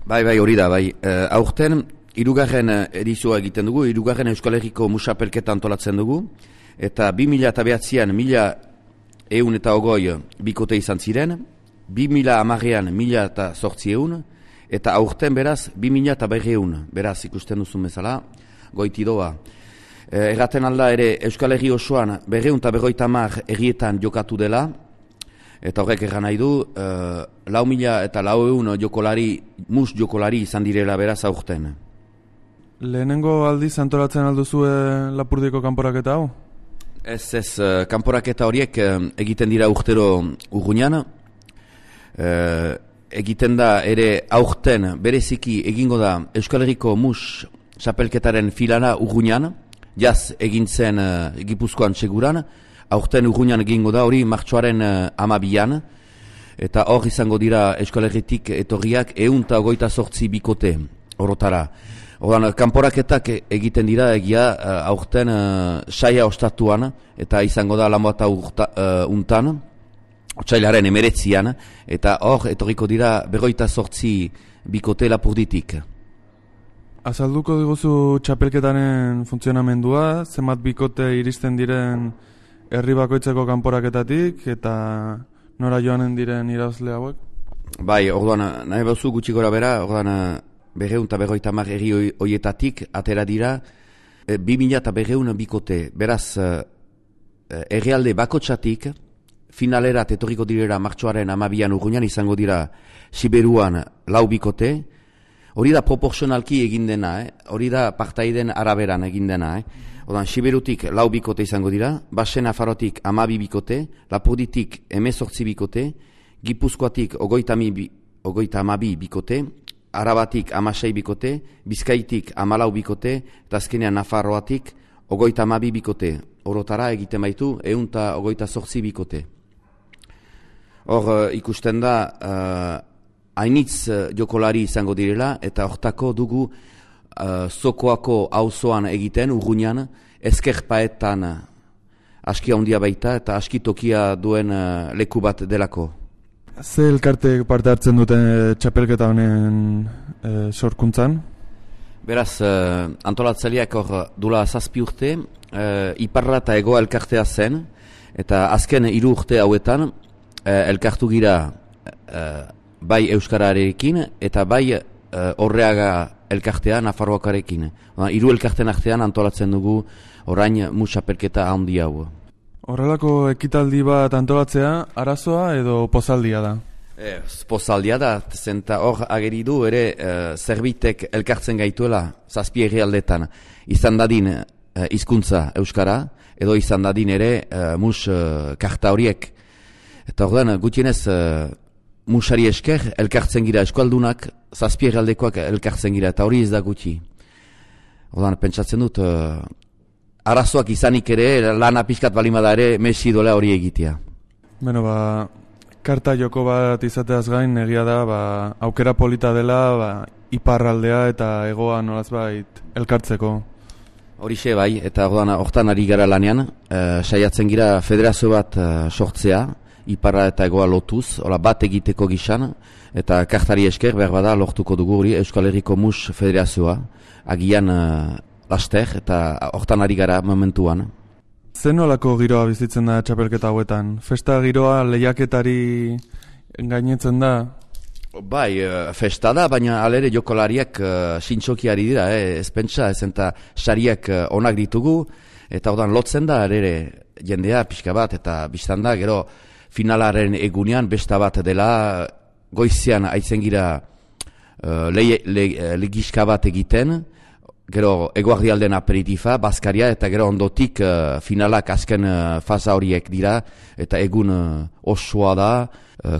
Bai, hori da, bai. Aurten, hirugarren edizioa egiten dugu, hirugarren Euskal Herriko musapelketa antolatzen dugu, eta 2009an 1120 bikote izan ziren, 2010an 1800, eta aurten beraz 2200, beraz ikusten duzun bezala, goiti doa. Erraten alda ere Euskal Herri osoan 250 herrietan jokatu dela, eta horrek erran nahi du, 4.000 eta 400 jokolari, mus jokolari izan direla beraz aurten. Lehenengo aldiz antolatzen alduzue Lapurdiko kanporaketa hau? Ez, kanporaketa horiek egiten dira urtero Urruñan. Egiten da ere aurten bereziki egingo da Euskal Herriko mus txapelketaren filana Urruñan, jaz egin zen Gipuzkoan seguran, aurten Urruñan egingo da hori martxoaren 12an, eta hor izango dira Euskal Herritik etorriak 128 bikote orotara. Ordan, kanporaketak egiten dira egia aurten saia ostatuan, eta izango da Lanboata untan, otsailaren 19an, eta hor etorriko dira 28 bikote Lapurditik. Azalduko diguzu txapelketaren funtzionamendua, zenbat bikote iristen diren herri bakoitzeko kanporaketatik, eta nora joanen diren irabazle hauek? Bai, orduan, nahi bauzu gutxi gora bera, orduan, 250 herri horietatik atera dira 2200 bikote. Beraz, herrialde bakotxatik finalerat etorriko direra martxoaren 12an Urruñan izango dira Siberuan 4 bikote. Hori da proporzionalki egin dena, hori da partaiden araberan egin dena. Odan, Siberutik 4 bikote izango dira, Basen Nafarrotik 12 bikote, Lapurditik 18 bikote, Gipuzkoatik 32 bikote, Arabatik 16 bikote, Bizkaitik 14 bikote, eta azkenean Nafarroatik 32 bikote. Orotara egiten baitu 128 bikote. Hor ikusten da hainitz jokolari izango direla, eta hortako dugu Zokoako auzoan egiten, Urruñan, Ezkerpaetan aski handia baita, eta aski tokia duen leku bat delako. Ze elkarte parte hartzen duten txapelketa honen sorkuntzan? Beraz, antolatzaileak hor dula 7 urte, Iparra eta Egoa elkartea zen, eta azken 3 urte hauetan elkartu gira bai Euskararekin eta bai Orreaga elkartea Nafarroakarekin. 3 elkarten artean antolatzen dugu orain musapelketa handi hau. Horrelako ekitaldi bat antolatzea, arazoa edo pozaldia da? Pozaldia da, zenta hor ageri du ere zerbitek elkartzen gaituela 7 herrialdetan, izan dadin hizkuntza Euskara, edo izan dadin ere mus karta horiek. Eta ordan gutienez musari esker elkartzen gira eskualdunak, 7 herrialdekoak elkartzen gira, eta hori ez da gutxi. Ordan pentsatzen dut arazoak izanik ere, lana pixkat balimada ere, mesi dola hori egitea. Beno, karta joko bat izateaz gain, egia da, aukera polita dela, iparraldea eta egoa nolazbait elkartzeko. Horixe bai, eta hortan ari gara lanean, saiatzen gira federazio bat sortzea, iparra eta egoa lotuz, bat egiteko gisan, eta kartari esker behar bada lortuko dugu hori Euskal Herriko Mus Federazioa, agian laster, eta hortan ari gara momentuan. Zer nolako giroa bizitzen da txapelketa hauetan? Festa giroa lehiaketari gainetzen da? Bai, festa da, baina alere jokolariak sintxokiari dira, ez pentsa, ez eta sariak onak ditugu, eta ordan lotzen da alere jendea pixka bat, eta biztan da, gero finalaren egunean besta bat dela, goizean aitzen gira legiska bat egiten, gero eguardialden aperitifa, bazkaria, eta gero ondotik finalak azken fasa horiek dira, eta egun osoa da,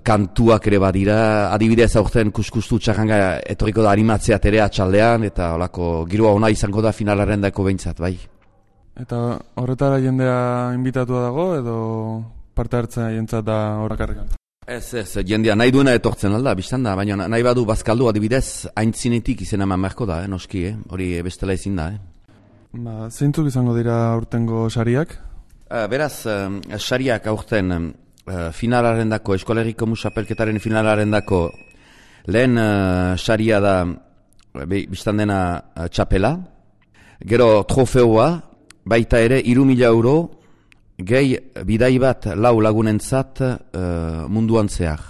kantuak ere badira, adibidez aurten kuskustu txarranga etorriko da animatzeat ere atxaldean, eta holako giroa ona izango da finalaren dako behintzat, bai. Eta horretara jendea inbitatua dago, edo parte hartzea jentzat da horrakarrekan? Ez, jendea nahi duena etortzen alda, biztan da, baina nahi badu bazkaldu adibidez, haintzinetik izena eman beharko da, noski, hori bestela ezin da. Zeintzuk izango dira aurtengo sariak? Beraz, sariak aurten finalaren dako, Euskal Herriko musapelketaren finalaren dako Lehen saria da, biztan dena txapela, gero trofeoa, baita ere 3.000 euro, gehi bidai bat lau lagunentzat munduan zehar.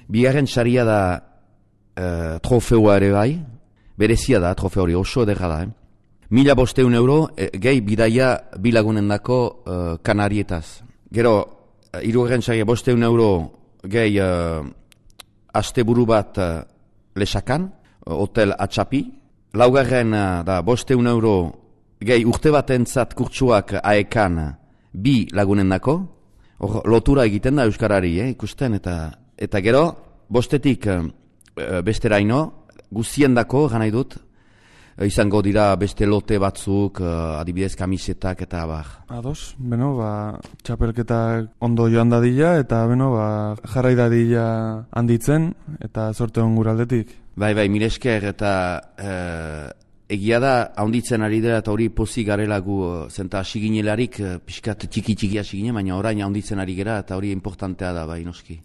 Bigarren saria da trofeoa ere bai, berezia da trofeo hori, oso edera da. 1.500 euro, gehi bidaia bilagunendako Kanarietaz. Gero, hirugarren saria 500 euro, gehi asteburu bat Lesakan, hotel Atxapi. Laugarren da 500 euro, gehi urte batentzat kurtsuak Aekan, 2 lagunendako. Lotura egiten da Euskarari, ikusten, eta gero, 5etik besteraino, guziendako, gana dut, izango dira beste lote batzuk, adibidez kamisetak eta bar. Ados, txapelketak ondo joan dadila, eta jarrai dadila handitzen, eta sorte hon guraldetik. Bai, mire esker, eta egia da, handitzen ari dela, eta hori pozik garela gu, zenta hasiginelarik, pixkat txiki hasigine, baina orain handitzen ari gera, eta hori importantea da, bai, noski.